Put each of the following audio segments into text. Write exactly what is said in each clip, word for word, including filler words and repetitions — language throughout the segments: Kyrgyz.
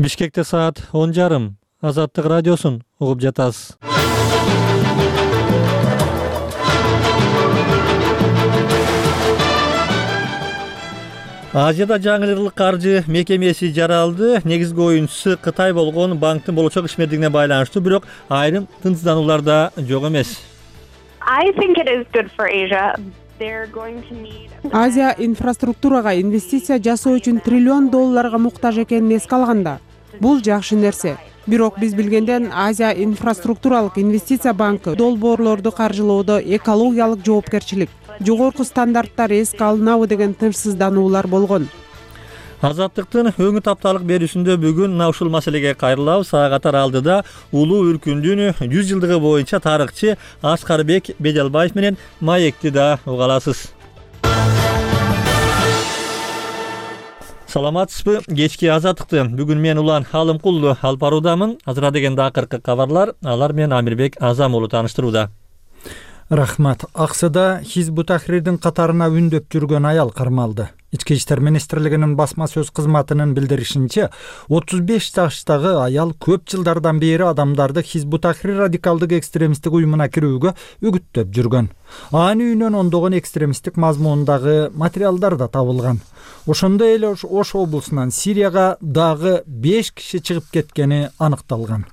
Бишкекте саат он жарым. Азаттык радиосун угуп жатасыз. Азияда жаңылырлык каржы мекемеси жаралды. Негизги оюнчусу Кытай болгон банктын болочок ишмердигине байланыштуу, бирок айрым тынчсыздануулар да жок эмес. Азия инфраструктурага инвестиция жасоо үчүн триллион долларга муктаж экенин эске алганда, бул жакшы нерсе. Бирок биз билгенден Азия инфраструктуралык инвестиция банкы долбоорлорду каржылоодо экологиялык жоопкерчилик, жогорку стандарттар эске алынабы деген тынчсыздануулар болгон. Азаттыктын өңү тапталык берүүсүндө бүгүн мына ушул маселеге кайрылабыз. Ага катар алдыда улуу үркүндүн жүз жылдыгы боюнча тарыхчы Аскарбек Беделбаев менен маекти да уга аласыз. Саламатсызбы? Кечки азаттыкты бүгүн мен Улан Алымкулду алып баруудамын. Азыра дегенде акыркы кабарлар, алар менен Амирбек Азам уулу тааныштырууда. Рахмат. Аксыда Хизбут Тахрирдин катарына үндөп жүргөн аял кармалды. Ички иштер министрлигинин басма сөз кызматынын билдиришинче, отуз беш жаштагы аял көп жылдардан бери адамдарды Хизбут Тахрир радикалдык экстремисттик уюмуна кирүүгө үгүттөп жүргөн. Анын үйүнөн ондогон экстремисттик мазмундагы материалдар да табылган. Ошондой эле Ош облусунан Сирияга дагы беш киши чыгып кеткени аныкталган.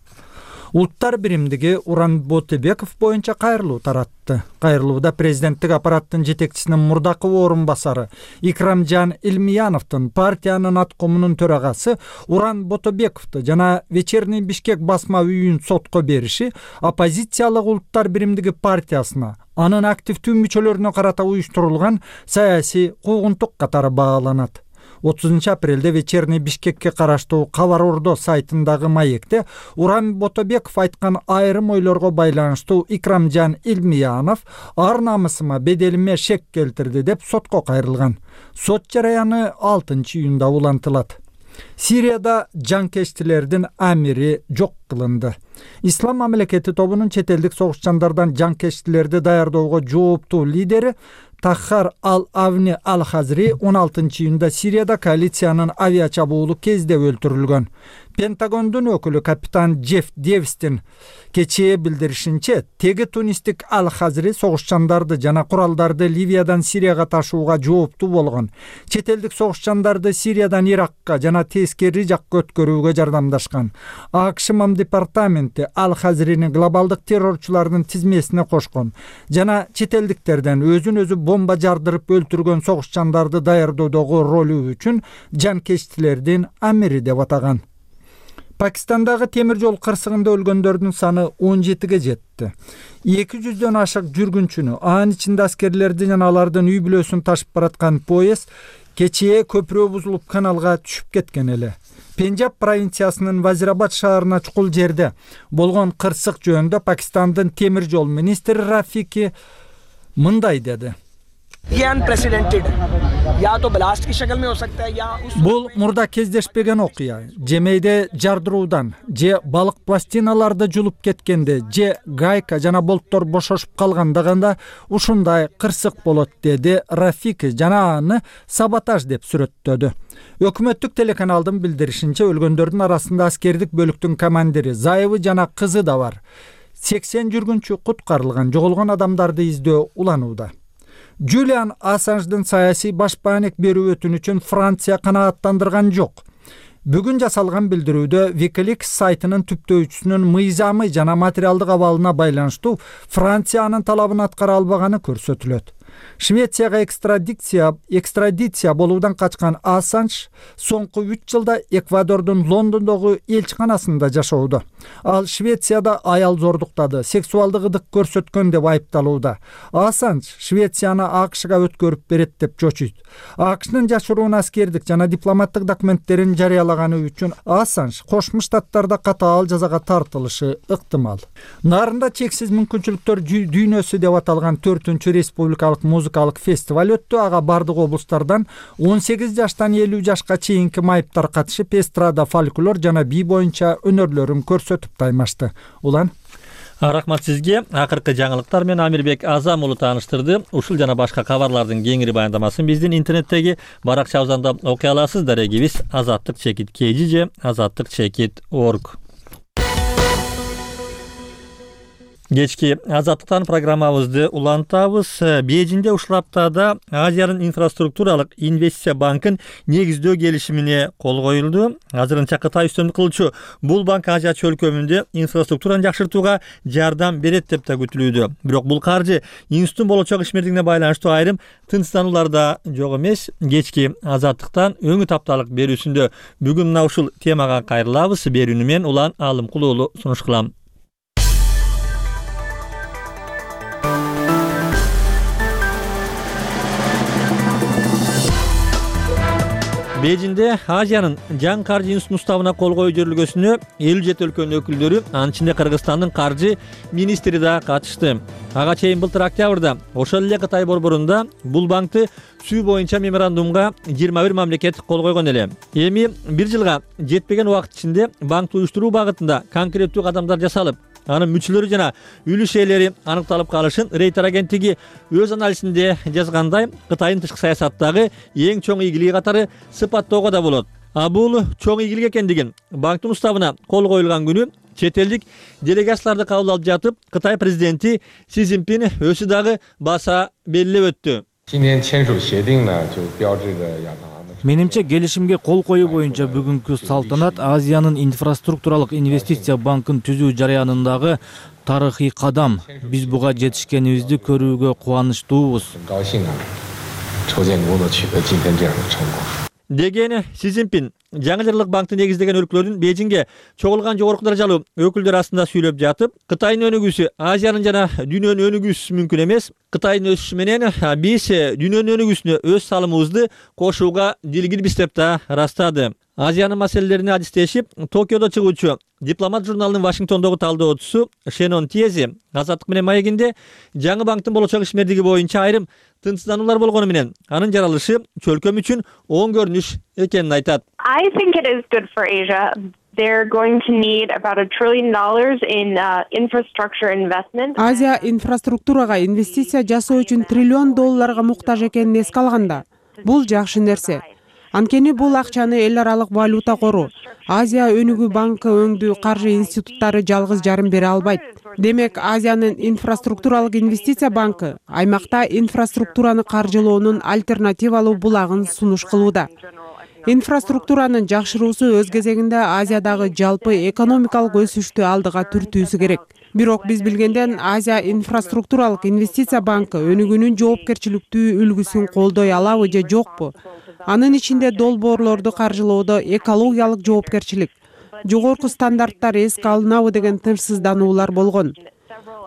Улуттар биримдиги Уран Ботебеков боюнча кайрылуу таратты. Кайрылууда президенттик аппараттын жетекчисинин мурдакы орун басары Икрамжан Илмияновдун партиянын аткомунун төрагасы Уран Ботебековду жана Вечерний Бишкек басма үйүн сотко бериши оппозициялык Улуттар биримдиги партиясына, анын активдүү мүчөлөрүнө карата уюштурулган саясий куугунтук катары бааланат. отузунчу апрелде Вечерний Бишкекке караштуу Кабар Ордо сайтындагы маекте Уран Ботебеков айткан айрым ойлорго байланыштуу Икрамжан Илмиянов ар намысыма, беделиме шек келтирди деп сотко кайрылган. Сот жараяны алтынчы июнда улантылат. Сирияда жанкечтилердин амири жок кылынды. Ислам мамлекети тобунун чет элдик согушчандардан жанкечтилерди даярдоого жооптуу лидери Таххар Ал-Авни Ал-Хазри он алтынчы июнда Сирияда коалициянын авиачабуулу кезде өлтүрүлгөн. Пентагондун өкүлү капитан Джефф Девистин кечээ билдиришинче, теги тунистик Ал-Хазри согушчандарды жана куралдарды Ливиядан Сирияга ташууга жооптуу болгон. Чет элдик согушчандарды Сириядан Иракка жана тескери жакка өткөрүүгө жардамдашкан. АКШ мам департаменти Ал-Хазрини глобалдык террорчулардын тизмесине кошкон жана чет элдиктерден өзүн өзү бомба жардырып өлтүргөн согушчандарды даярдоодогу ролу үчүн жанкечтилердин амири деп атаган. Пакистандагы темир жол кырсыгында өлгөндөрдүн саны он жетиге жетти. эки жүздөн ашык жүргүнчүнү, анын ичинде аскерлерди жана алардын үй бүлөсүн ташып бараткан поезд кечээ көпүрө бузулуп каналга түшүп кеткен эле. Пенджаб провинциясынын Вазирабад шаарына чукул жерде болгон кырсык жөнүндө Пакистандын темир жол министри Рафики мындай деди. Бул мурда кездешпеген окуя. Же мейде жардыруудан, же балык пластиналарды жулуп кеткенде, же гайка жана болттор бошошуп калгандагында ушундай кырсык болот, деди Рафики жана аны саботаж деп сүрөттөдү. Өкмөттүк телеканалдын билдиришинче, өлгөндөрдүн арасында аскердик бөлүктүн командири, зайыбы жана кызы да бар. сексен жүргүнчү куткарылган, жоголгон адамдарды издөө уланууда. Джулиан Ассанждын саясий башпаанек берүү өтүнүчүн Франция канааттандырган жок. Бүгүн жасалган билдирүүдө Wikileaks сайтынын түптөөчүсүнүн мыйзамы жана материалдык абалына байланыштуу Франциянын талабын аткара албаганы көрсөтүлөт. Швецияга экстрадиция экстрадиция болуудан качкан Ассанж соңку үч жылда Эквадордун Лондондогу элчиканасында жашоодо. Ал Швецияда аял зордуктады, сексуалдык ыдык көрсөткөн деп айыпталууда. Ассанж Швецияны АКШга өткөрүп берет деп чочуйт. АКШнын жашыруун аскердик жана дипломаттык документтерин жарыялаганы үчүн Ассанж Кошмо Штаттарда катаал жазага тартылышы ыктымал. Нарында чексиз мүмкүнчүлүктөр дүйнөсү деп аталган төртүнчү республикалык музыкалык фестиваль өттү. Ага бардык облустардан он сегиз жаштан элүү жашка чейинки майыптар катышып, эстрада, фольклор жана бий боюнча өнөрлөрүн көрсөтүп таймашты. Улан Рахмат сизге. Акыркы жаңылыктар менен Амирбек Азам уулу тааныштырды. Ушул жана башка кабарлардын кеңири баяндамасын биздин интернеттеги баракчабыздан окуй аласыз. Дарегибиз азаттык чекит kg же азаттык чекит org. Кечки азаттыктан программабызды улантабыз. Бейжиңде ушул аптада Азиянын инфраструктуралык инвестиция банкын негиздөө келишимине кол коюлду. Азырынча Кытай үстөмдүк кылуучу бул банк Азия чөлкөмүндө инфраструктураны жакшыртууга жардам берет деп да күтүлүүдө. Бирок бул каржы институттун болочок ишмердигине байланыштуу айрым тынчсыздануулар да жок эмес. Кечки азаттыктан өңү тапталык берүүсүндө бүгүн мына ушул темага кайрылабыз. Берүүнү мен Улан Алымкулуу уулу сунуш кылам. Бейжиңде Азиянын жаңы каржы институтунун уставына кол коюу жөрүлгөсүнө элүү жети өлкөнүн өкүлдөрү, анын ичинде Кыргызстандын каржы министри да катышты. Ага чейин былтыр октябрда ошол эле Кытай борборунда бул банкты сүү боюнча меморандумга жыйырма бир мамлекет кол койгон эле. Эми бир жылга жетпеген убакыт ичинде банкты уюштуруу багытында конкреттүү кадамдар жасалып, анын мүчөлөрү жана үлүш ээлери аныкталып калышын Рейтер агенттиги өз анализинде жазгандай, Кытайдын тышкы саясаттагы эң чоң ийгилиги катары сыпаттоого да болот. А бул чоң ийгилик экендигин банктын уставына кол коюлган күнү чет элдик делегацияларды кабыл алып жатып, Кытай президенти Си Цзиньпин өзү дагы баса белгилеп өттү. Менимче келишимге кол коюу боюнча бүгүнкү салтанат Азиянын инфраструктуралык инвестиция банкын түзүү жарыянындагы тарыхый кадам. Биз буга жетишкенибизди көрүүгө кубанычтуубуз. Деген Си Цзиньпин жаңы жырлык банкты негиздеген өлкөлөрдүн Бейжиңге чогулган жогорку даражалуу өкүлдөр астында сүйлөп жатып, Кытайдын өнүгүүсү Азиянын жана дүйнөнүн өнүгүүсү мүмкүн эмес. Кытайдын өсүшү менен биз дүйнөнүн өнүгүүсүнө өз салымыбызды кошууга дилгирбиз деп да ырастады. Азиянын маселелерине адистешип, Токиодо чыгуучу Дипломат журналынын Вашингтондогу талдоочусу Шенон Тиези Азаттык менен маегинде жаңы банктын болочок ишмердиги боюнча айрым тынчсыздануулар болгону менен анын жаралышы чөлкөм үчүн оң көрүнүш экенин айтат. I think it is good for Asia. They're going to need about a trillion dollars in uh, infrastructure investment. Азия инфраструктурага инвестиция жасоо үчүн триллион долларга муктаж экенин эске алганда, бул жакшы нерсе. Анткени бул акчаны эл аралык валюта кору, Азия өнүгүү банкы өңдүү каржы институттары жалгыз жарым бере албайт. Демек, Азиянын инфраструктуралык инвестиция банкы аймакта инфраструктураны каржылоонун альтернативалуу булагын сунуш кылууда. Инфраструктуранын жакшыруусу өз кезегинде Азиядагы жалпы экономикалык өсүштү алдыга түртүүсү керек. Бирок биз билгенден Азия инфраструктуралык инвестиция банкы өнүгүүнүн жоопкерчиликтүү үлгүсүн колдой алабы же жокпу? Анын ичинде долбоорлорду каржылоодо экологиялык жоопкерчилик, жогорку стандарттар эске алынабы деген тынчсыздануулар болгон.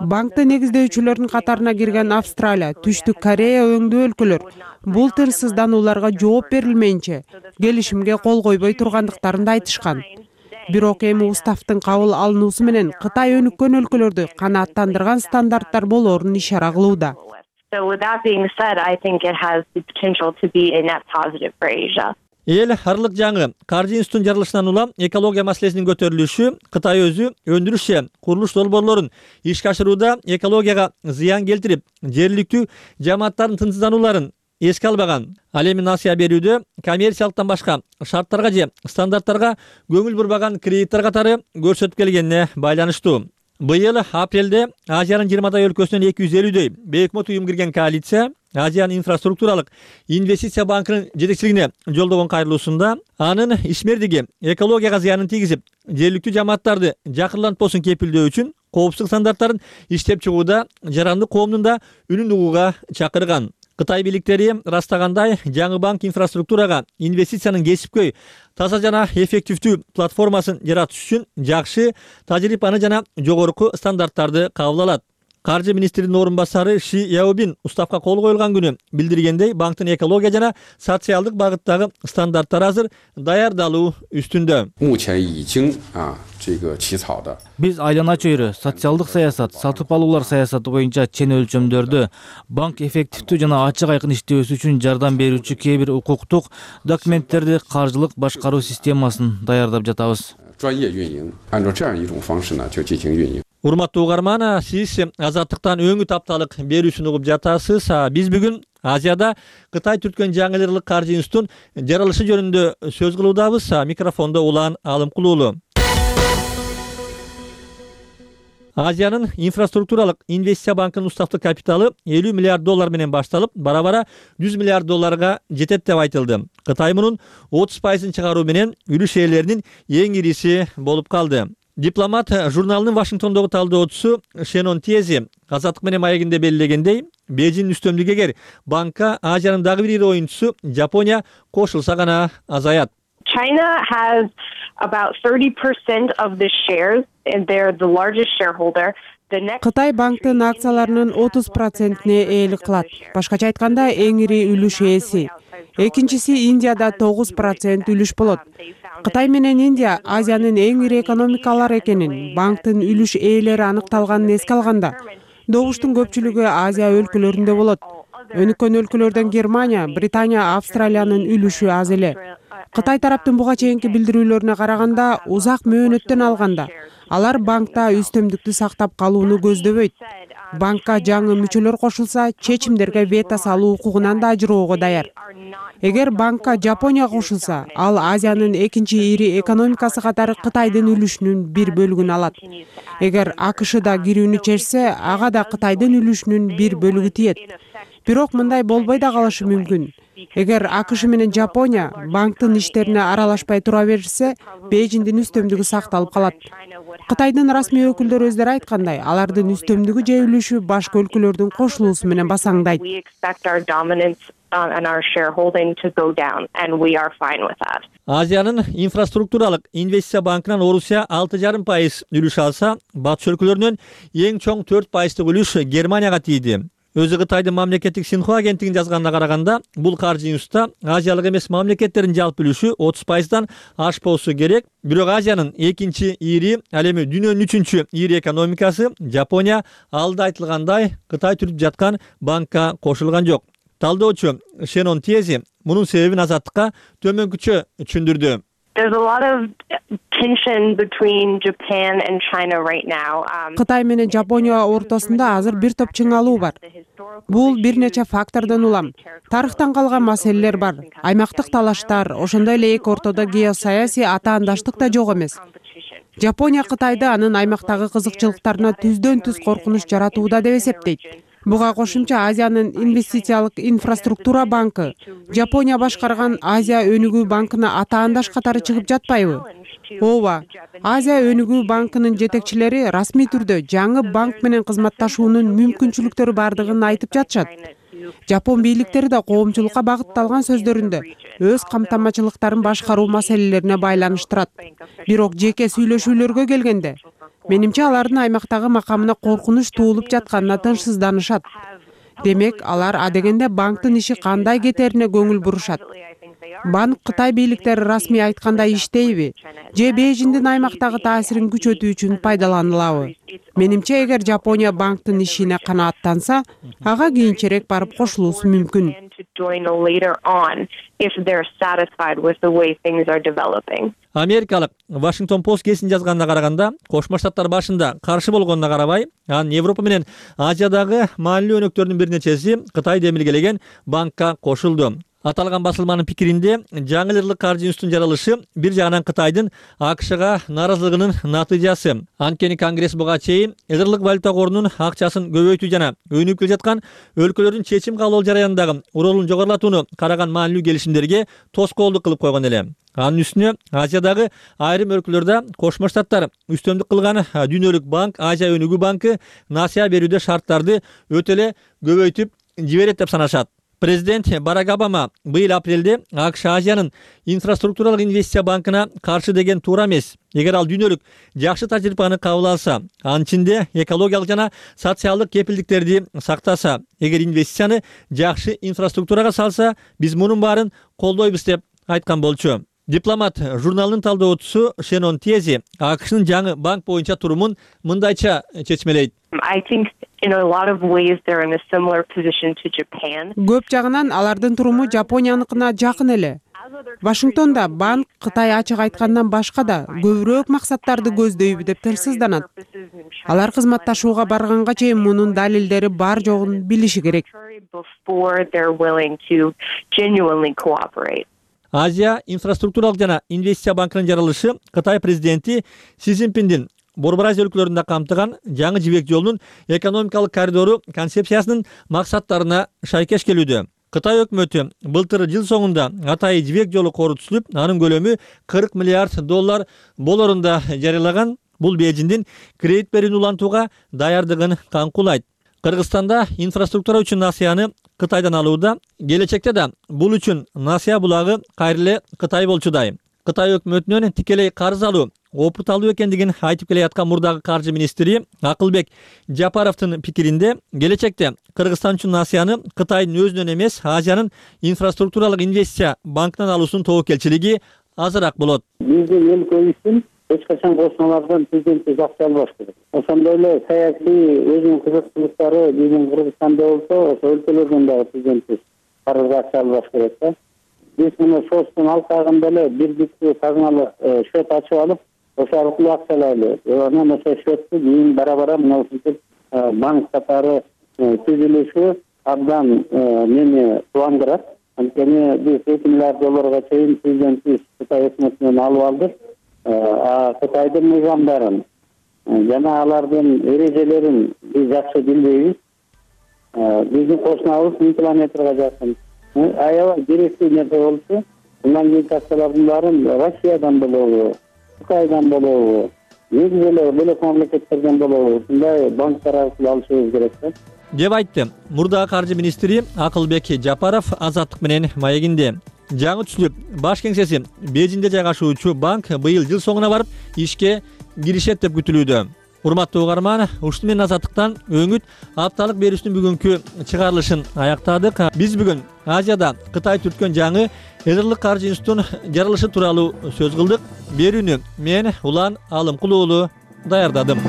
Банкты негиздөөчүлөрдүн катарына кирген Австралия, Түштүк Корея өңдүү өлкөлөр бул тынчсызданууларга жооп берилмейинче келишимге кол койбой тургандыктарын да айтышкан. Бирок эми уставдын кабыл алынуусу менен Кытай өнүккөн өлкөлөрдү канааттандырган стандарттар болоорун ишара кылууда. So with that being said, I think it has the potential to be a net positive for Asia. Эл аралык жаңы каржы институтунун жарылышынан улам экология маселесинин көтөрүлүшү Кытай өзү өндүрүш же курулуш долбоорлорун ишке ашырууда экологияга зыян келтирип, жергиликтүү жамааттардын тынчсызданууларын эске албаган. Ал эми насыя берүүдө коммерциялыктан башка шарттарга же стандарттарга көңүл бурбаган кредиттер катары көрсөтүп келгенине байланыштуу. Быйыл апрелде Азиянын жыйырмадай өлкөсүнөн эки жүз элүүдөй бейөкмөт уюм кирген коалиция Азиянын инфраструктуралык инвестиция банкынын жетекчилигине жолдогон кайрылуусунда анын ишмердиги экологияга зыянын тийгизип, жергиликтүү жамааттарды жакырлантпосун кепилдөө үчүн коопсуздук стандарттарын иштеп чыгууда жарандык коомдун да үнүн угууга чакырган. Кытай бийликтери ырастагандай, жаңы банк инфраструктурага инвестициянын кесипкөй, таза жана эффективдүү платформасын жаратыш үчүн жакшы тажрыйбаны жана жогорку стандарттарды кабыл алат. Каржы министринин орун басары Ши Яобин уставга кол коюлган күнү билдиргендей, банктын экология жана социалдык багыттагы стандарттары азыр даярдалуу үстүндө. Биз айлана чөйрө, социалдык саясат, сатып алуулар саясаты боюнча чен өлчөмдөрдү, банк эффективдүү жана ачык айкын иштөөсү үчүн жардам берүүчү кээ бир укуктук документтерди каржылык башкаруу системасын даярдап жатабыз. Урматтуу угарман, сиз Азаттыктан өңү тапталык берүүсүн угуп жатасыз. Биз бүгүн Азияда Кытай түрткөн жаңы каржы институтунун жаралышы жөнүндө сөз кылуудабыз. Микрофондо Улан Алымкулуулу. Азиянын инфраструктуралык инвестиция банкынын уставдык капиталы элүү миллиард доллар менен башталып, бара-бара жүз миллиард долларга жетет деп айтылды. Кытай мунун отуз пайызын чыгаруу менен үлүш ээлеринин эң ириси болуп калды. Дипломат журналынын Вашингтондогу талдоочусу Шенон Тиези Азаттык менен маегинде белгилегендей, Бейжиңдин үстөмдүгү эгер банкка Азиянын дагы бир ири оюнчусу Жапония кошулса гана азаят. China has about thirty percent of the shares, and they're the largest shareholder. Кытай банктын акцияларынын отуз процентине ээлик кылат. Башкача айтканда, эң ири үлүш ээси. Экинчиси Индияда тогуз процент үлүш болот. Кытай менен Индия Азиянын эң ири экономикалар экенин, банктын үлүш ээлери аныкталганын эске алганда, добуштун көпчүлүгү Азия өлкөлөрүндө болот. Өнүккөн өлкөлөрдөн Германия, Британия, Австралиянын үлүшү аз эле. Кытай тараптын буга чейинки билдирүүлөрүнө караганда, узак мөөнөттөн алганда, алар банкта үстөмдүктү сактап калууну көздөбөйт. Банкка жаңы мүчөлөр кошулса, чечимдерге вето салуу укугунан да ажыроого даяр. Эгер банкка Жапония кошулса, ал Азиянын экинчи ири экономикасы катары Кытайдын үлүшүнүн бир бөлүгүн алат. Эгер АКШ да кирүүнү чечсе, ага да Кытайдын үлүшүнүн бир бөлүгү тиет. Бирок мындай болбой да калышы мүмкүн. Эгер АКШ менен Жапония банктын иштерине аралашпай тура берсе, Бейжиңдин үстөмдүгү сакталып калат. Кытайдын расмий өкүлдөрү өздөрү айткандай, алардын үстөмдүгү же үлүшү башка өлкөлөрдүн кошулуусу менен басаңдайт. Азиянын инфраструктуралык инвестиция банкынан Орусия алты жарым пайыз үлүш алса, батыш өлкөлөрүнөн эң чоң төрт пайыздык үлүш Германияга тийди. Өзү Кытайдын мамлекеттик Синхуа агенттигинин жазганына караганда, бул каржы институтта Азиялык эмес мамлекеттердин жалпы үлүшү отуз пайыздан ашпоосу керек. Бирок Азиянын экинчи ири, ал эми дүйнөнүн үчүнчү ири экономикасы Жапония алда айтылгандай Кытай түртүп жаткан банкка кошулган жок. Талдоочу Шенон Тиези мунун себебин Азаттыкка төмөнкүчө түшүндүрдү. There's a lot of tension between Japan and China right now. Кытай менен Жапония ортосунда азыр бир топ чыңалуу бар. Бул бир нече фактордон улам. Тарыхтан калган маселелер бар. Аймактык талаштар, ошондой эле эки ортодо геосаясий атаандаштык да жок эмес. Жапония Кытайды анын аймактагы кызыкчылыктарына түздөн түз коркунуч жаратууда деп эсептейт. Буга кошумча Азиянын инвестициялык инфраструктура банкы Жапония башкарган Азия өнүгүү банкына атаандаш катары чыгып жатпайбы? Ооба, Азия өнүгүү банкынын жетекчилери расмий түрдө жаңы банк менен кызматташуунун мүмкүнчүлүктөрү бардыгын айтып жатышат. Жапон бийликтери да коомчулукка багытталган сөздөрүндө өз камтамачылыктарын башкаруу маселелерине байланыштырат. Бирок жеке сүйлөшүүлөргө келгенде, менимче алардын аймактагы макамына коркунуч туулуп жатканына тынчсызданышат. Демек, алар адегенде банктын иши кандай кетерине көңүл бурушат. Банк Кытай бийликтери расмий айткандай иштейби, же Бейжиңдин аймактагы таасирин күчөтүү үчүн пайдаланылабы? Менимче, эгер Жапония банктын ишине канааттанса, ага кийинчерээк барып кошулуусу мүмкүн. Америкалык Вашингтон Пост гезитин жазганына караганда, Кошмо Штаттар башында каршы болгонуна карабай, анын Европа менен Азиядагы маанилүү өнөктөрдүн бир нечеси Кытай демилгелеген банкка кошулду. Аталган басылманын пикиринде, жаңы ырлык каржы институтунун жаралышы бир жагынан Кытайдын АКШга нааразылыгынын натыйжасы. Анткени Конгресс буга чейин ырлык валюта корунун акчасын көбөйтүү жана өнүгүп келе жаткан өлкөлөрдүн чечим кабыл жараянындагы ролун жогорулатууну караган маанилүү келишимдерге тоскоолдук кылып койгон эле. Анын үстүнө Азиядагы айрым өлкөлөрдө Кошмо Штаттар үстөмдүк кылган Дүйнөлүк банк, Азия өнүгүү банкы насыя берүүдө шарттарды өтө эле көбөйтүп жиберет деп санашат. Президент Барак Обама быйыл апрелде АКШ Азиянын инфраструктуралык инвестиция банкына каршы деген туура эмес. Эгер ал дүйнөлүк жакшы тажрыйбаны кабыл алса, анын ичинде экологиялык жана социалдык кепилдиктерди сактаса, эгер инвестицияны жакшы инфраструктурага салса, биз мунун баарын колдойбуз деп айткан болчу. Дипломат журналынын талдоочусу Шенон Тиези АКШнын жаңы банк боюнча турумун мындайча чечмелейт. I think in a lot of ways they're in a similar position to Japan. Көп жагынан алардын туруму Жапонияныкына жакын эле. Вашингтонда банк Кытай ачык айткандан башка да көбүрөөк максаттарды көздөйбү деп тырсызданат. Алар кызматташууга барганга чейин мунун далилдери бар жогун билиши керек. Азия инфраструктуралык жана инвестиция банкынын жарылышы Кытай президенти Си Цзиньпиндин Борбор Азия өлкөлөрүндө камтыган жаңы жибек жолунун экономикалык коридору концепциясынын максаттарына шайкеш келүүдө. Кытай өкмөтү былтыр жыл соңунда атайы жибек жолу кору түзүлүп, анын көлөмү кырк миллиард доллар болорун да жарыялаган. Бул Бейжиңдин кредит берүүнү улантууга даярдыгын каңкуулайт. Кыргызстанда инфраструктура үчүн насыяны Кытайдан алууда, келечекте да бул үчүн насыя булагы кайра эле Кытай болчудай. Кытай өкмөтүнөн тикелей карыз алуу опурталуу экендигин айтып келе аткан мурдагы каржы министри Акылбек Жапаровдун пикиринде, келечекте Кыргызстан үчүн насыяны Кытайдын өзүнөн эмес, Азиянын инфраструктуралык инвестиция банкынан алуусунун тобокелчилиги азыраак болот. Биздин өлкө үчүн эч качан кошуналардан президентти жакшы албаш керек. Ошондой эле саясий өзүнүн кызыкчылыктары биздин Кыргызстанда болсо, ошо өлкөлөрдөн дагы президентти карыз жакшы албаш керек да. Биз муну шоттун алкагында эле бир бүткүл казыналык счет ачып алып, ошо аркылуу акчалайлы. Анан ошо счетту кийин бара-бара мына ушинтип банк катары түзүлүшү абдан мени кубандырат. Анткени биз эки миллиард долларга чейин президентти Кытай өкмөтүнөн алып алдык. А Кытайдын мыйзамдарын жана алардын эрежелерин биз жакшы билбейбиз. Биздин кошунабыз миң километрге жакын. Аябай керектүү нерсе болчу. Мындан кийинки акчалардын баарын Россиядан болобу, Кытайдан болобу, негизи эле бөлөк мамлекеттерден болобу, ушундай банктар аркылуу алышыбыз керек да. деп айтты мурдагы каржы министри Акылбек Жапаров Азаттык менен маегинде. Жаңы түзүлүп баш кеңсеси Бейжиңде жайгашуучу банк быйыл жыл соңуна барып ишке киришет деп күтүлүүдө. Урматтуу угарман, ушуну менен Азаттыктан өңүт апталык берүүсүнүн бүгүнкү чыгарылышын аяктадык. Биз бүгүн Азияда Кытай түрткөн жаңы Эзерлик каржы институтунун жарылышы тууралуу сөз кылдык. Берүүнү мен Улан Алымкул уулу даярдадым.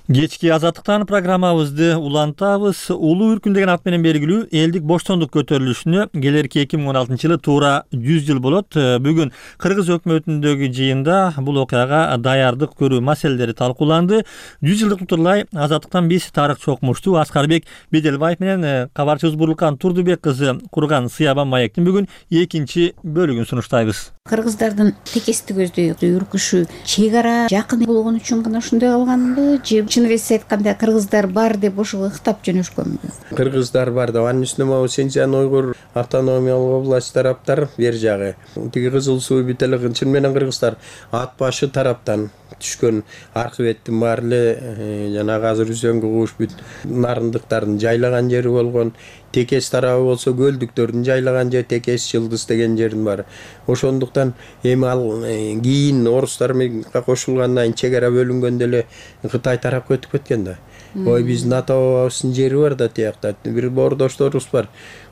Кечки Азаттыктан программабызды улантабыз. Улуу үркүн деген ат менен белгилүү элдик боштондук көтөрүлүшүнө келерки эки миң он алтынчы жылы туура жүз жыл болот. Бүгүн Кыргыз өкмөтүндөгү жыйында бул окуяга даярдык көрүү маселелери талкууланды. жүз жылдык утурлай Азаттыктан биз тарыхчы окумуштуу Аскарбек Беделбаев менен кабарчыбыз Бурлукан Турдубек кызы курган Сыябан маектин бүгүн экинчи бөлүгүн сунуштайбыз. Кыргыздардын текести көздөй үркүшү чек ара жакын болгон үчүн гана ушундай кылганбы же чын эле айтканда кыргыздар бар деп ошого ыктап жөнөшкөнбү? Кыргыздар бар да, анын үстүнө могу Синьцзян уйгур автономиялык область тараптар бер жагы. Тиги Кызыл суу бүт эле чын менен кыргыздар ат башы тараптан түшкөн архиветтин баары эле жана азыр үзөңгү кууш бүт нарындыктардын жайлаган жери болгон. Текес тарабы болсо көлдүктөрдүн жайлаган жери Текес Жылдыз деген жердин баары. Ошондуктан эми ал кийин орустар менен кошулгандан кийин чек ара бөлүнгөндө эле Кытай тарапка өтүп кеткен да. Ой биздин ата бабабыздын жери бар да тиякта. Бир боордошторубуз бар.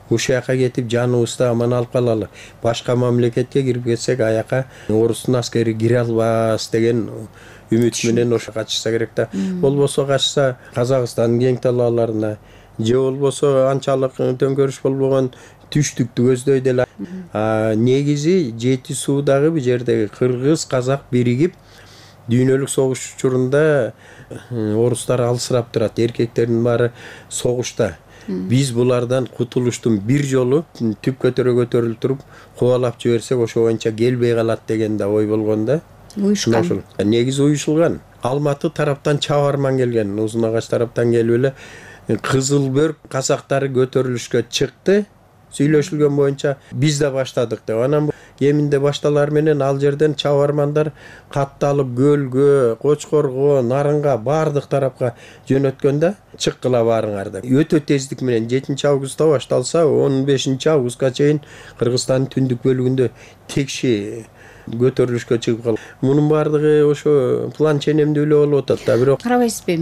Ушул жака кетип жаныбызды аман алып калалы. Башка мамлекетке кирип кетсек аяка орустун аскери кире албас деген үмүт менен ошо качышса керек да. Болбосо качса Казакстандын кең талааларына же болбосо анчалык төңкөрүш болбогон түштүктү көздөйдү эле. Негизи Жети суудагы бул жердеги кыргыз казак биригип дүйнөлүк согуш учурунда орустар алысырап турат. Эркектердин баары согушта. Биз булардан кутулуштун бир жолу түп көтөрө көтөрүлүп туруп кубалап жиберсек ошо боюнча келбей калат деген да ой болгон да. Уюшкан. Негизи уюшулган. Алматы тараптан чабарман келген, Узун Агач тараптан келип эле Кызыл Бөрк казактары көтөрүлүшкө чыкты. Сүйлөшүлгөн боюнча биз да баштадык деп. Анан кеминде башталар менен ал жерден чабармандар катталып көлгө, Кочкорго, Нарынга баардык тарапка жөнөткөндө чыккыла баарыңар деп. Өтө тездик менен жетинчи августта башталса, он бешинчи августка чейин Кыргызстандын түндүк бөлүгүндө текши көтөрүлүшкө чыгып калды. Мунун баардыгы ошо план ченемдүү эле болуп атат да, бирок карабайсызбы,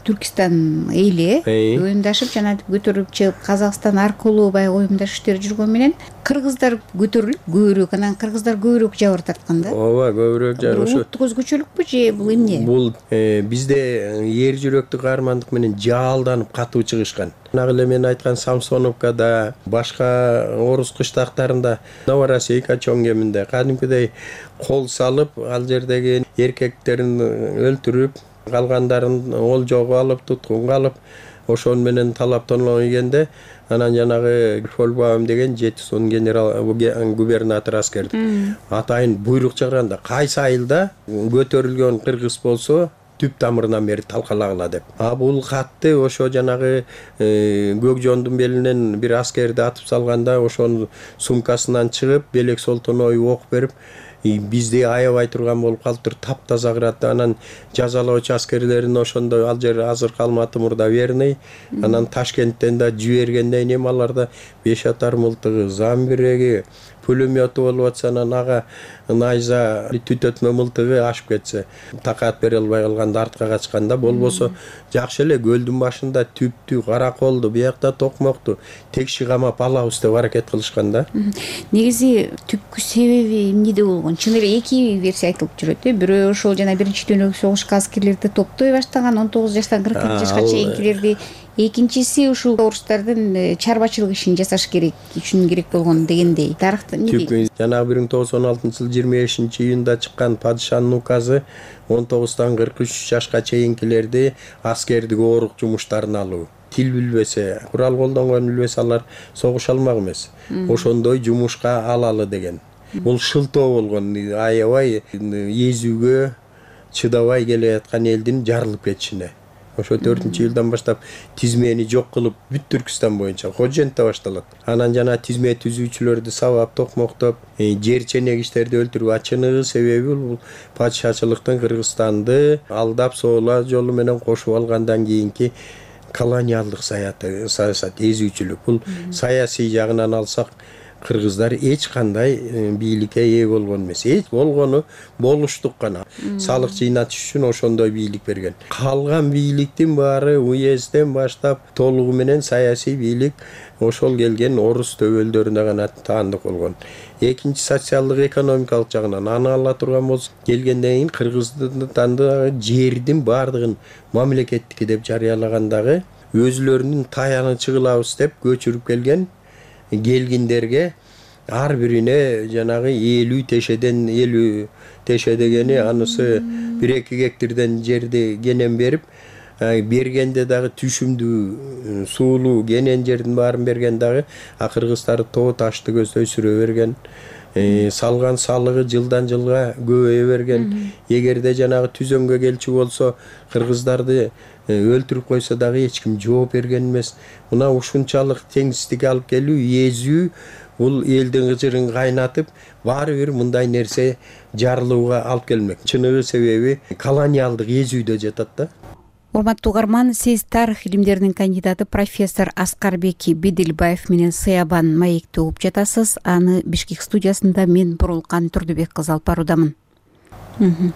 Түркистан эли уюмдашып жана көтөрүп чыгып Казакстан аркылуу баягы уюмдаш иштер жүргөн менен кыргыздар көтөрүлүп көбүрөөк, анан кыргыздар көбүрөөк жабыр тарткан да. ооба, көбүрөөк жабыр. Ошо улуттук өзгөчөлүкпү же бул эмне? Бул бизде эр жүрөктүү каармандык менен жаалданып катуу чыгышкан. Нагы эле мен айткан Самсоновкада, башка орус кыштактарында, Новороссийка чоң кеминде кадимкидей кол салып, ал жердеги эркектерин өлтүрүп, калгандарын олжого алып, туткунга алып, ошон менен талаптануу ийгенде, анан жанагы Фольбаум деген жети сон генерал губернатор аскерди атайын буйрук чыгарганда, кайсы айылда көтөрүлгөн кыргыз болсо түп тамырынан бери талкалагыла деп. А бул катты ошо жанагы Көкжондун белинен бир аскерди атып салганда, ошонун сумкасынан чыгып, Белек Солтоной ок берип, бизди аябай турган болуп калыптыр, таптаза кыратты. Анан жазалоочу аскерлерин ошондо ал жер азыркы Алматы мурда Верный, анан Ташкенттен да жибергенден кийин аларда беш атар мылтыгы, замбиреги, пулемету болуп атса, анан ага найза түтөтмө мылтыгы ашып кетсе, такат бере албай калганда артка качканда, болбосо жакшы эле көлдүн башында түптү, караколду, биякта токмокту текши камап алабыз деп аракет кылышкан да. Негизи түпкү себеби эмнеде болгон? Чын эле эки версия айтылып жүрөт. Бирөө ошол жана биринчи дүйнөлүк согушка аскерлерди топтой баштаган, он тогуз жаштан кырк эки жашка чейинкилерди. Экинчиси ушул орустардын чарбачылык ишин жасаш керек үчүн керек болгон дегендей. Тарыхта эмне дейт? Жанагы бир миң тогуз жүз он алтынчы жылы жыйырма бешинчи июнда чыккан падышанын указы он тогуздан кырк үч жашка чейинкилерди аскердик оорук жумуштарына алуу. Тил билбесе, курал колдонгон билбесе, алар согуша алмак эмес. Ошондой жумушка алалы деген. Бул шылтоо болгон, аябай эзүүгө чыдабай келе аткан элдин жарылып кетишине. Ошо төртүнчү жылдан баштап тизмени жок кылып, бүт Түркистан боюнча Ходжентте башталат. Анан жана тизме түзүүчүлөрдү сабап, токмоктоп, жер ченегичтерди өлтүрүп, ачыныгы себеби бул падышачылыктын Кыргызстанды алдап соола жолу менен кошуп алгандан кийинки колониалдык саясаты, саясат, эзүүчүлүк. Бул саясий жагынан алсак, кыргыздар эч кандай бийликке ээ болгон эмес. Эч болгону болуштук гана. Салык жыйнатыш үчүн ошондой бийлик берген. Калган бийликтин баары уезден баштап толугу менен саясий бийлик ошол келген орус төбөлдөрүнө гана таандык болгон. Экинчи социалдык экономикалык жагынан аны ала турган болсо, келгенден кийин Кыргызстандагы жердин баардыгын мамлекеттики деп жарыялагандагы өзүлөрүнүн таянычы кылабыз деп көчүрүп келген келгиндерге ар бирине жанагы элүү тешеден элүү теше дегени анысы бир эки гектардан жерди кенен берип, бергенде дагы түшүмдүү суулуу кенен жердин баарын берген дагы, а кыргыздар тоо ташты көздөй сүрө берген. Салган салыгы жылдан жылга көбөйө берген. Эгерде жанагы түзөмгө келчү болсо, кыргыздарды өлтүрүп койсо дагы эч ким жооп берген эмес. Мына ушунчалык теңсиздик алып келүү, эзүү, бул элдин кыжырын кайнатып, баары бир мындай нерсе жарылууга алып келмек. Чыныгы себеби колониалдык эзүүдө жатат да. Урматтуу угарман, сиз тарых илимдеринин кандидаты профессор Аскарбек Беделбаев менен Сыябан маекти угуп жатасыз. Аны Бишкек студиясында мен Бурулкан Турдубек кызы алып баруудамын.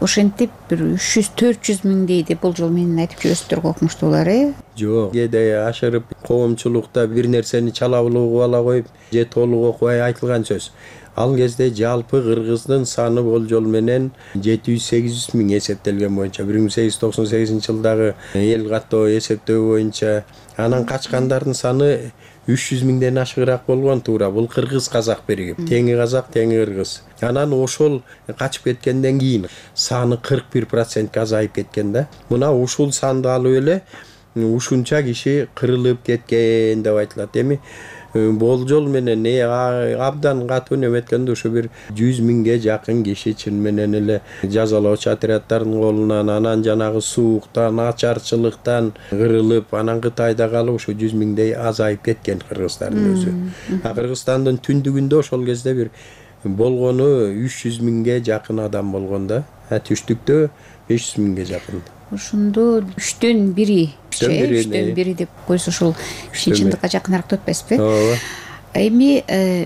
Ошентип бир үч жүз төрт жүз миңдей деп болжол менен айтып жүрөсүздөр го, окумуштуулар, э? Жок, кээде ашырып, коомчулукта бир нерсени чалабылууга ала коюп, же толук окубай айтылган сөз. Ал кезде жалпы кыргыздын саны болжол менен жети жүз сегиз жүз миң эсептелген боюнча, бир миң сегиз жүз токсон сегизинчи жылдагы эл каттоо эсептөө боюнча, анан качкандардын саны үч жүз миңден ашыгыраак болгон туура. Бул кыргыз казак биригип, теңи казак, теңи кыргыз. Анан ошол качып кеткенден кийин саны кырк бир процентке азайып кеткен да. Мына ушул санды алып эле ушунча киши кырылып кеткен деп айтылат. Эми болжол менен абдан катуу неметкенде ушу бир жүз миңге жакын киши чын менен эле жазалоочу отряддардын колунан, анан жанагы сууктан, ачарчылыктан кырылып, анан Кытайда калып ушу жүз миңдей азайып кеткен кыргыздардын өзү. А Кыргызстандын түндүгүндө ошол кезде бир болгону үч жүз миңге жакын адам болгон да. Түштүктө беш жүз миңге жакын. Ошондо үчтөн бири, үчтөн бири деп койсо ушул чынчындыкка жакыныраак деп атпайсызбы? Ооба. Эми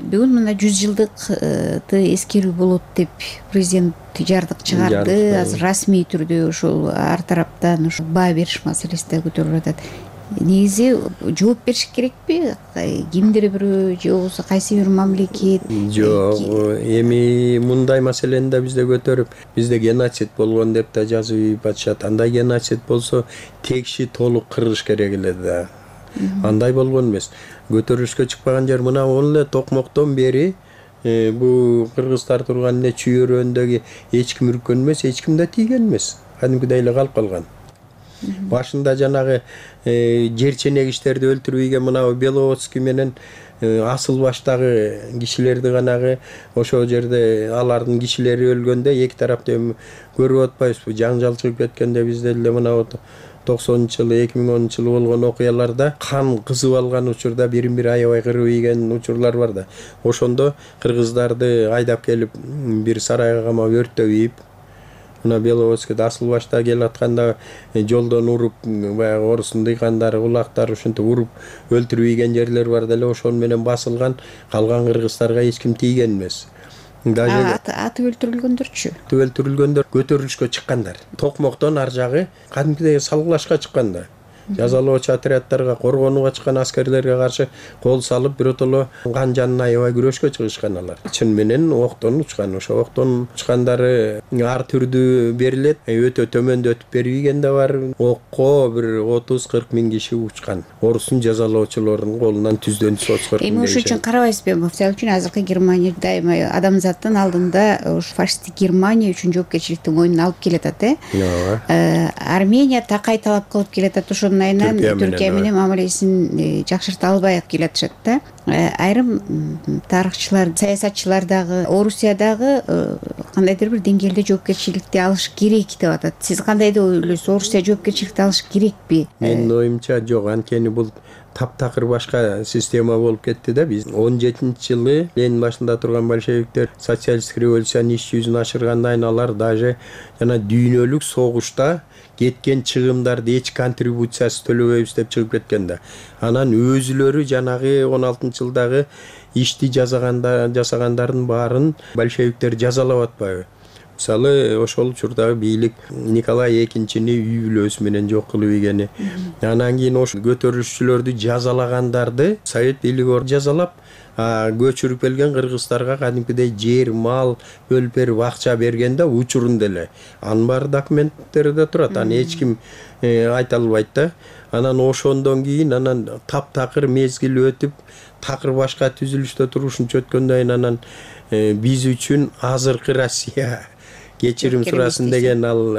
бүгүн мына жүз жылдыкты эскерүү болот деп президент жардык чыгарды. Азыр расмий түрдө ушул ар тараптан ушул баа бериш маселеси да көтөрүлүп атат. негизи жооп бериш керекпи? Кимдир бирөө же болбосо кайсы бир мамлекет? Жок, эми мындай маселени да бизде көтөрүп, бизде геноцид болгон деп да жазып ийип атышат. Андай геноцид болсо текши толук кыргыш керек эле да. Андай болгон эмес. Көтөрүлүшкө чыкпаган жер мына он эле токмоктон бери бу кыргыздар турган эле чүйөрөөндөгү эч ким үрккөн эмес, эч ким да тийген эмес. Кадимкидей эле калып калган. Башында жанагы жерченек иштерди өлтүрүп ийген мына Беловодский менен асыл баштагы кишилерди ганагы ошол жерде алардын кишилери өлгөндө эки тарапты эми көрүп атпайбызбы? Жаңжал чыгып кеткенде бизде эле мына токсонунчу жылы эки миң онунчу жылы болгон окуяларда кан кызып алган учурда бирин бири аябай кырып ийген учурлар бар да. Ошондо кыргыздарды айдап келип бир сарайга камап өрттөп ийип, мына Беловодскийде асыл башта келип атканда жолдон уруп, баягы орустун дыйкандары, улактары ушинтип уруп өлтүрүп ийген жерлер бар деле. Ошон менен басылган, калган кыргыздарга эч ким тийген эмес. Даже атып өлтүрүлгөндөрчү? Атып өлтүрүлгөндөр көтөрүлүшкө чыккандар. Токмоктон ар жагы кадимкидей салгылашка чыккан да. Жазалоочу отряддарга, коргонууга чыккан аскерлерге каршы кол салып, биротоло кан жанына аябай күрөшкө чыгышкан алар. Чын менен октон учкан. Ошо октон учкандары ар түрдүү берилет. Өтө төмөндө өтүп бербеген да бар. Окко бир отуз кырк миң киши учкан. Орустун жазалоочулорунун колунан түздөн жүз отуз кырк миң. Эми ошон үчүн карабайсызбы? Мисалы үчүн азыркы Германия дайыма адамзаттын алдында ушу фашисттик Германия үчүн жоопкерчиликти мойнуна алып келатат, э? Армения такай талап кылып келатат. Ошо айынан Түркия менен мамилесин жакшырта албай келатышат да. Айрым тарыхчылар, саясатчылар дагы Орусиядагы кандайдыр бир деңгээлде жоопкерчиликти алыш керек деп атат. Сиз кандай деп ойлойсуз? Орусия жоопкерчиликти алыш керекпи? Менин оюмча жок, анткени бул таптакыр башка система болуп кетти да. Биз он жетинчи жылы Ленин башында турган большевиктер социалисттик революциянын иш жүзүн ашыргандан алар даже жана дүйнөлүк согушта кеткен чыгымдарды эч контрибуциясы төлөбөйбүз деп чыгып кеткен да. Анан өзүлөрү жанагы он алтынчы жылдагы ишти жасаганда жасагандардын баарын большевиктер жазалап атпайбы? Мисалы, ошол учурдагы бийлик Николай экинчини үй бүлөсү менен жок кылып ийгени. Анан кийин ошол көтөрүлүшчүлөрдү жазалагандарды совет бийлиги жазалап, көчүрүп келген кыргыздарга кадимкидей жер, мал бөлүп берип акча бергенде учурунда эле. Анын баары документтерде турат. Аны эч ким айта албайт да. Анан ошондон кийин анан таптакыр мезгил өтүп, такыр башка түзүлүштө турушунча өткөндөн кийин анан биз үчүн азыркы Россия кечирим сурасын деген ал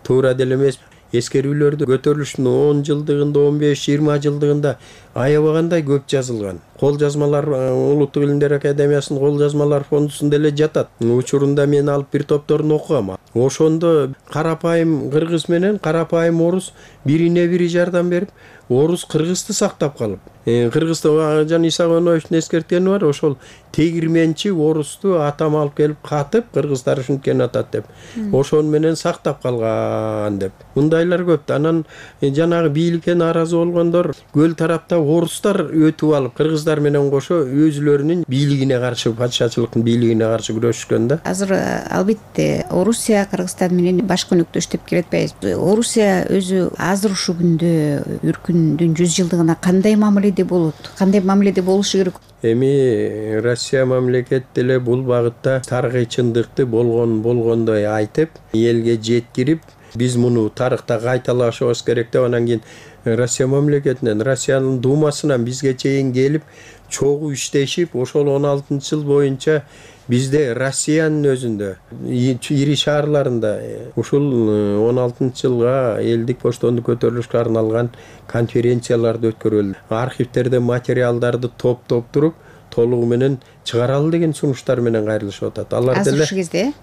туура деле эмес. Эскерүүлөрдү көтөрүлүштүн он жылдыгында, он беш жыйырма жылдыгында аябагандай көп жазылган. Кол жазмалар Улуттук илимдер академиясынын кол жазмалар фондусунда эле жатат. Учурунда мен алып бир топторун окугам. Ошондо карапайым кыргыз менен карапайым орус бирине бири жардам берип, орус кыргызды сактап калып. Кыргызды жана Исагоновичтин эскерткени бар, ошол тегирменчи орусту атам алып келип катып, кыргыздар ушинткен атат деп. Ошон менен сактап калган деп. Мындайлар көп. Анан жанагы бийликке нааразы болгондор көл тарапта орустар өтүп алып, кыргыздар менен кошо өзүлөрүнүн бийлигине каршы, патшачылыктын бийлигине каршы күрөшкөн да. Азыр албетте Орусия Кыргызстан менен баш көнөктөш деп келет атпайбызбы? Орусия өзү азыр ушул күндө үркүндүн жүз жылдыгына кандай мамиледе болот? Кандай мамиледе болушу керек? Эми Россия мамлекет деле бул багытта тарыхый чындыкты болгон болгондой айтып, элге жеткирип, биз муну тарыхта кайталашыбыз керек деп, анан кийин Россия мамлекетинен, Россиянын думасынан бизге чейин келип, чогуу иштешип, ошол он алтынчы жыл боюнча бизде Россиянын өзүндө ири шаарларында ушул он алтынчы жылга элдик боштондук көтөрүлүшкө арналган конференцияларды өткөрүлдү. Архивтерде материалдарды топтоп туруп, толугу менен чыгаралы деген сунуштар менен кайрылышып атат. Алар деле ушул кезде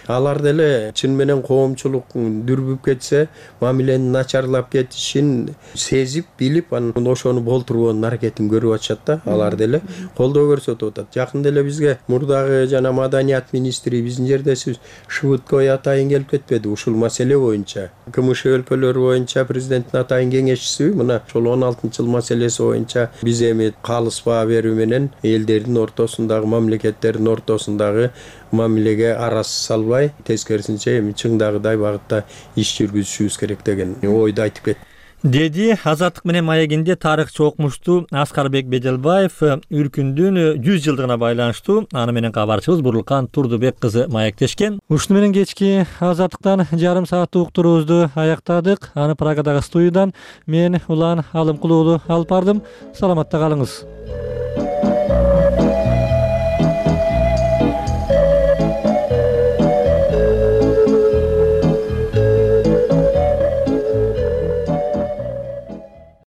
алар деле чын менен коомчулук дүрбүп кетсе, мамиленин начарлап кетишин сезип, билип, анан ошону болтургонун аракетин көрүп атышат да. Алар деле колдоо көрсөтүп атат. Жакын деле бизге мурдагы жана маданият министри биздин жердесибиз Шыбыткой атайын келип кетпеди ушул маселе боюнча. КМШ өлкөлөрү боюнча президенттин атайын кеңешчиси, мына ошол он алтынчы жыл маселеси боюнча биз эми калыс баа берүү менен элдердин ортосундагы, мамлекеттердин ортосундагы мамилеге араз салбай, тескерисинче эми чыңдагыдай багытта иш жүргүзүшүбүз керек деген ойду айтып кет. деди Азаттык менен маегинде тарыхчы окумуштуу Аскарбек Беделбаев үркүндүн жүз жылдыгына байланыштуу аны менен кабарчыбыз Бурлукан Турдубек кызы маектешкен. Ушуну менен кечки Азаттыктан жарым сааттык уктуруубузду аяктадык. Аны Праgadагы студиядан мен Улан Алымкулуу алып бардым. Саламатта калыңыз.